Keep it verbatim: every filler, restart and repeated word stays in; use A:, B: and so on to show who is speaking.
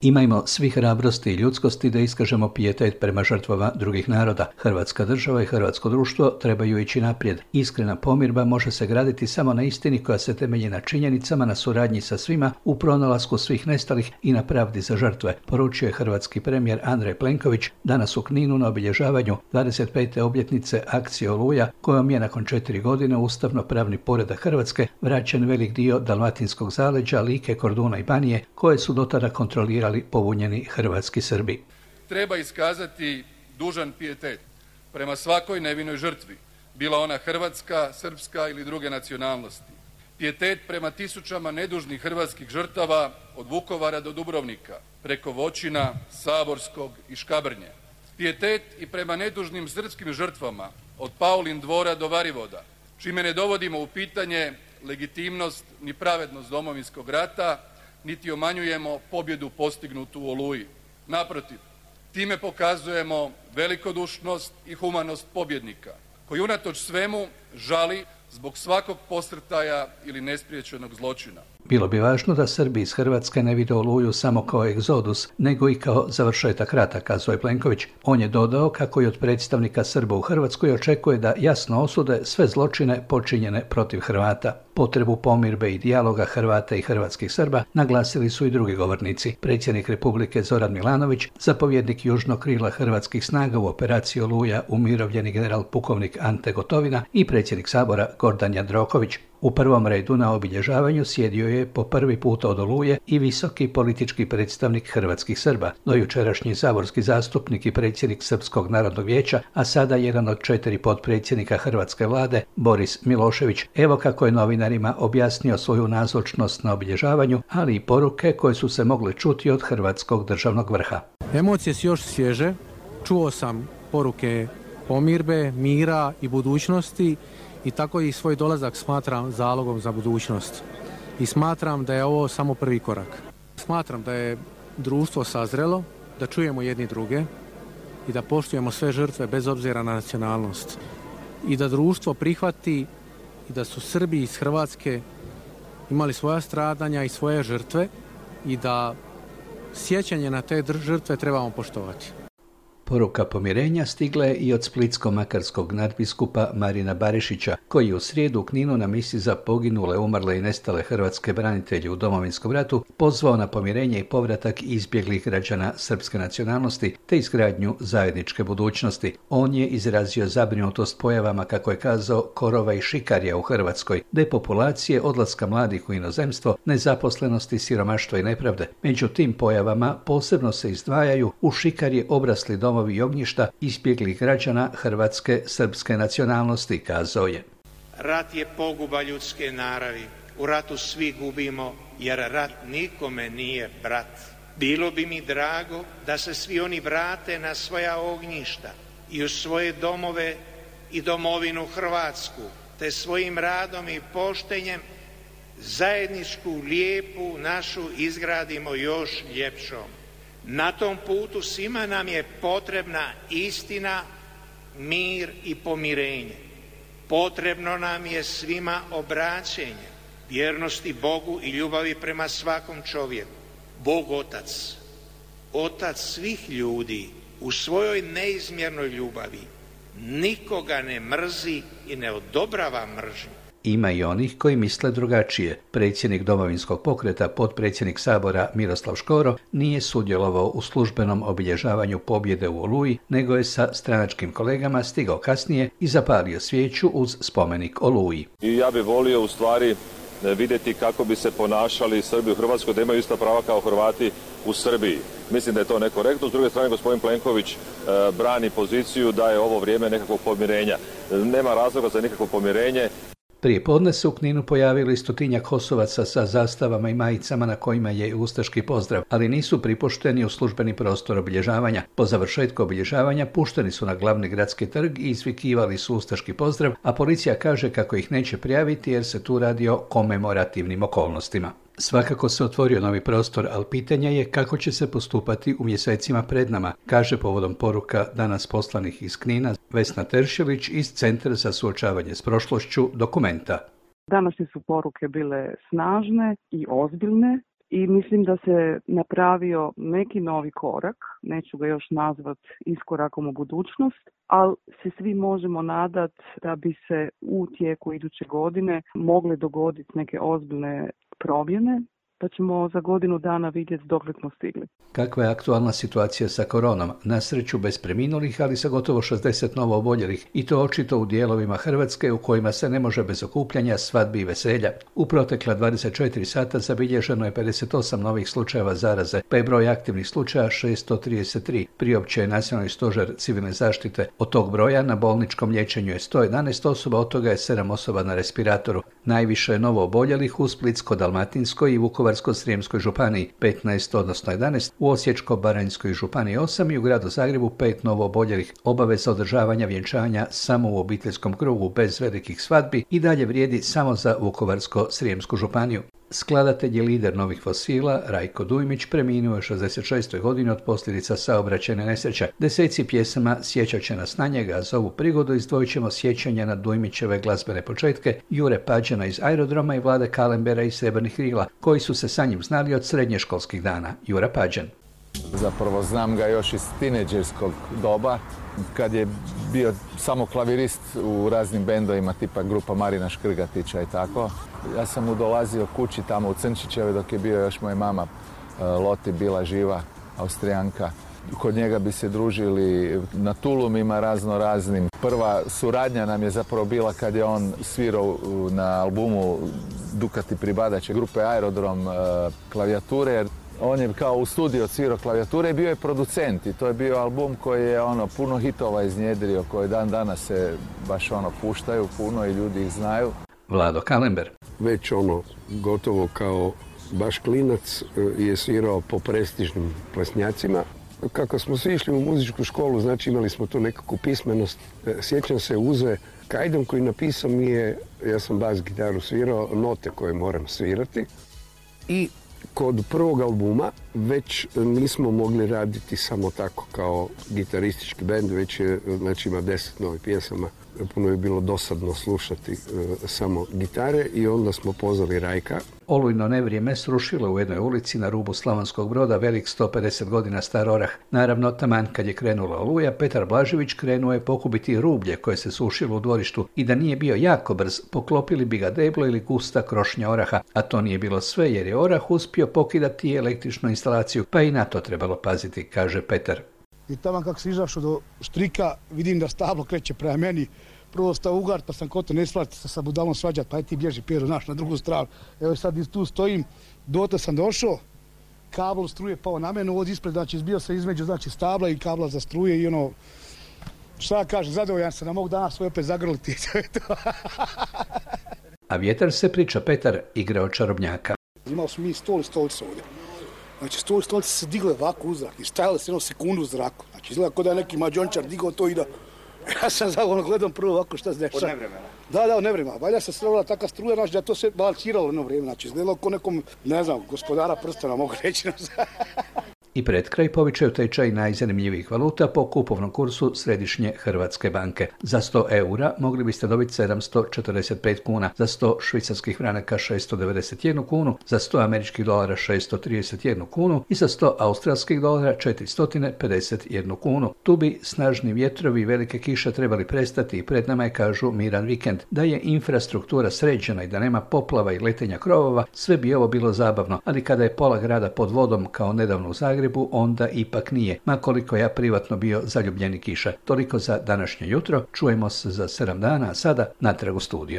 A: Imajmo svi hrabrosti i ljudskosti da iskažemo pijetet prema žrtvama drugih naroda. Hrvatska država i hrvatsko društvo trebaju ići naprijed. Iskrena pomirba može se graditi samo na istini koja se temelji na činjenicama, na suradnji sa svima, u pronalasku svih nestalih i na pravdi za žrtve, poručio je hrvatski premijer Andrej Plenković danas u Kninu na obilježavanju dvadeset pete obljetnice akcije Oluja, kojom je nakon četiri godine ustavno-pravni poredak Hrvatske vraćen velik dio dalmatinskog zaleđa, Like, Korduna i Banije, koje su dotada kontrolirali pobunjeni hrvatski Srbi.
B: Treba iskazati dužan pijetet prema svakoj nevinoj žrtvi, bila ona hrvatska, srpska ili druge nacionalnosti. Pijetet prema tisućama nedužnih hrvatskih žrtava od Vukovara do Dubrovnika, preko Voćina, Saborskog i Škabrnje. Pijetet i prema nedužnim srpskim žrtvama od Paulin dvora do Varivoda, čime ne dovodimo u pitanje legitimnost ni pravednost Domovinskog rata, niti umanjujemo pobjedu postignutu u Oluji. Naprotiv, time pokazujemo velikodušnost i humanost pobjednika, koji unatoč svemu žali zbog svakog posrtaja ili nespriječenog zločina.
A: Bilo bi važno da Srbi iz Hrvatske ne vide Oluju samo kao egzodus, nego i kao završetak rata, kazao je Plenković. On je dodao kako i od predstavnika Srba u Hrvatskoj očekuje da jasno osude sve zločine počinjene protiv Hrvata. Potrebu pomirbe i dijaloga Hrvata i hrvatskih Srba naglasili su i drugi govornici. Predsjednik Republike Zoran Milanović, zapovjednik južnog krila hrvatskih snaga u operaciji Oluja, umirovljeni general pukovnik Ante Gotovina i predsjednik Sabora Gordan Jandroković. U prvom redu na obilježavanju sjedio je po prvi puta od Oluje i visoki politički predstavnik hrvatskih Srba, dojučerašnji saborski zastupnik i predsjednik Srpskog narodnog vijeća, a sada jedan od četiri potpredsjednika hrvatske vlade, Boris Milošević. Evo kako je novinarima objasnio svoju nazočnost na obilježavanju, ali i poruke koje su se mogle čuti od hrvatskog državnog vrha.
C: Emocije su još svježe, čuo sam poruke pomirbe, mira i budućnosti, i tako i svoj dolazak smatram zalogom za budućnost. I smatram da je ovo samo prvi korak. Smatram da je društvo sazrelo, da čujemo jedni druge i da poštujemo sve žrtve bez obzira na nacionalnost. I da društvo prihvati i da su Srbi iz Hrvatske imali svoja stradanja i svoje žrtve i da sjećanje na te žrtve trebamo poštovati.
A: Poruka pomirenja stigla je i od splitsko-makarskog nadbiskupa Marina Barišića, koji je u srijedu u Kninu na misi za poginule, umrle i nestale hrvatske branitelje u Domovinskom ratu pozvao na pomirenje i povratak izbjeglih građana srpske nacionalnosti te izgradnju zajedničke budućnosti. On je izrazio zabrinutost pojavama, kako je kazao, korova i šikarija u Hrvatskoj, depopulacije, odlaska mladih u inozemstvo, nezaposlenosti, siromaštva i nepravde. Među tim pojavama posebno se izdvajaju u šikarje obrasli domovi i ognjišta izbjeglih građana hrvatske srpske nacionalnosti, kazao je.
D: Rat je poguba ljudske naravi. U ratu svi gubimo, jer rat nikome nije brat. Bilo bi mi drago da se svi oni vrate na svoja ognjišta i u svoje domove i domovinu Hrvatsku, te svojim radom i poštenjem zajedničku lijepu našu izgradimo još ljepšom. Na tom putu svima nam je potrebna istina, mir i pomirenje. Potrebno nam je svima obraćenje, vjernosti Bogu i ljubavi prema svakom čovjeku. Bog Otac, Otac svih ljudi, u svojoj neizmjernoj ljubavi nikoga ne mrzi i ne odobrava mržnju.
A: Ima i onih koji misle drugačije. Predsjednik Domovinskog pokreta, potpredsjednik Sabora Miroslav Škoro nije sudjelovao u službenom obilježavanju pobjede u Oluji, nego je sa stranačkim kolegama stigao kasnije i zapalio svijeću uz spomenik Oluji.
E: I ja bih volio u stvari vidjeti kako bi se ponašali Srbi u Hrvatskoj, da imaju ista prava kao Hrvati u Srbiji. Mislim da je to nekorektno. S druge strane, gospodin Plenković e, brani poziciju da je ovo vrijeme nekakvog pomirenja. Nema razloga za nikakvo pomirenje.
A: Prije podne se u Kninu pojavili stotinjak Kosovaca sa zastavama i majicama na kojima je ustaški pozdrav, ali nisu pripušteni u službeni prostor obilježavanja. Po završetku obilježavanja pušteni su na glavni gradski trg i izvikivali su ustaški pozdrav, a policija kaže kako ih neće prijaviti jer se tu radi o komemorativnim okolnostima. Svakako se otvorio novi prostor, ali pitanje je kako će se postupati u mjesecima pred nama, kaže povodom poruka danas poslanih iz Knina Vesna Teršelić iz Centra za suočavanje s prošlošću Dokumenta.
F: Današnje su poruke bile snažne i ozbiljne. i mislim da se napravio neki novi korak, neću ga još nazvat iskorakom u budućnost, ali se svi možemo nadati da bi se u tijeku iduće godine mogle dogoditi neke ozbiljne promjene, pa ćemo za godinu dana vidjeti dokle smo stigli.
A: Kakva je aktualna situacija sa koronom? Na sreću bez preminulih, ali sa gotovo šezdeset novo oboljelih, i to očito u dijelovima Hrvatske u kojima se ne može bez okupljanja, svadbi i veselja. U protekla dvadeset četiri sata zabilježeno je pedeset osam novih slučajeva zaraze, pa je broj aktivnih slučaja šesto trideset tri, priopćio je Nacionalni stožer civilne zaštite. Od tog broja na bolničkom liječenju je sto jedanaest osoba, od toga je sedam osoba na respiratoru. Najviše je novo oboljelih u Splitsko-dalmatinskoj i Vukovarsko-srijemskoj županiji, petnaest odnosno jedanaest, u Osječko-baranjskoj županiji osam i u gradu Zagrebu pet novo oboljelih. Obaveza održavanja vjenčanja samo u obiteljskom krugu bez velikih svadbi i dalje vrijedi samo za Vukovarsko-srijemsku županiju. Skladatelj je lider novih fosila, Rajko Dujmić, preminuo je šezdeset šestoj godini od posljedica saobraćajne nesreće. Deseci pjesama sjećat će nas na njega, a za ovu prigodu izdvojit ćemo sjećanja na Dujmićeve glazbene početke, Jure Pađena iz Aerodroma i Vlade Kalembera iz Srebrnih krila, koji su se sa njim znali od srednješkolskih dana. Jura Pađen.
G: Zapravo znam ga još iz tineđerskog doba, kad je bio samo klavirist u raznim bendovima tipa grupa Marina Škrgatića i tako. Ja sam mu dolazio kući tamo u Crnčićeve dok je bio još moja mama Loti bila živa, Austrijanka. Kod njega bi se družili na tulumima razno raznim. Prva suradnja nam je zapravo bila kad je on svirao na albumu Dukati pribadače grupe Aerodrom klavijature. On je kao u studiju odsvirao klavijature i bio je producent i to je bio album koji je ono puno hitova iznjedrio, koji dan danas se baš ono puštaju puno i ljudi ih znaju.
A: Vlado Kalember.
H: Već ono gotovo kao baš klinac je svirao po prestižnim plesnjacima. Kako smo svi išli u muzičku školu, znači imali smo tu nekakvu pismenost. Sjećam se Uze Kajdom koji napisao mi je, ja sam bas gitaru svirao, note koje moram svirati. I kod prvog albuma već nismo mogli raditi samo tako kao gitaristički bend, već je, znači ima deset novih pjesama. Puno je bilo dosadno slušati e, samo gitare i onda smo pozvali Rajka.
A: Olujno nevrijeme srušilo u jednoj ulici na rubu Slavonskog Broda velik sto pedeset godina star orah. Naravno, taman kad je krenula oluja, Petar Blažević krenuo je pokupiti rublje koje se sušilo u dvorištu i da nije bio jako brz, poklopili bi ga deblo ili gusta krošnja oraha, a to nije bilo sve jer je orah uspio pokidati električnu instalaciju, pa i na to trebalo paziti, kaže Petar.
I: I tamo kako se izašao do štrika, vidim da stablo kreće prema meni. Prvo stao ugar, pa sam koto ne splati se sa budalom svađat, pa je ti bježi Pero naš na drugu stranu. Evo sad tu stojim, dotle sam došao, kabel struje pao na mene, ovdje ispred, znači izbio se između znači, stabla i kabla za struje i ono, šta ja kažem, zadovoljan sam, da mogu danas svoj opet zagrliti.
A: A vjetar se, priča Petar, igrao čarobnjaka.
I: Imali smo mi stol i stolice ovdje. Znači stol i stolice se digle ovako u zrak i stajale se jedno sekundu u zraku. Znači izgleda kao da je neki mađončar digao to i da... Ja sam zavodno gledam prvo ovako šta se dešava. Od nevremena? Da, da, od nevremena. Valja se strovila taka struja, znači da to se balansiralo jedno vrijeme. Znači izgledalo kao nekom, ne znam, gospodara prstena, mogu reći.
A: I pred kraj povičaju tečaj najzanimljivijih valuta po kupovnom kursu Središnje Hrvatske banke. Za sto eura mogli biste dobiti sedamsto četrdeset pet kuna, za sto švicarskih franaka šesto devedeset jednu kunu, za sto američkih dolara šesto trideset jednu kunu i za sto australskih dolara četiristo pedeset jednu kunu. Tu bi snažni vjetrovi i velike kiše trebali prestati i pred nama je, kažu, miran vikend. Da je infrastruktura sređena i da nema poplava i letenja krovova, sve bi ovo bilo zabavno, ali kada je pola grada pod vodom kao nedavno u Zagrebu, onda ipak nije, ma koliko ja privatno bio zaljubljeni kiša. Toliko za današnje jutro, čujemo se za sedam dana, a sada natrag u studio.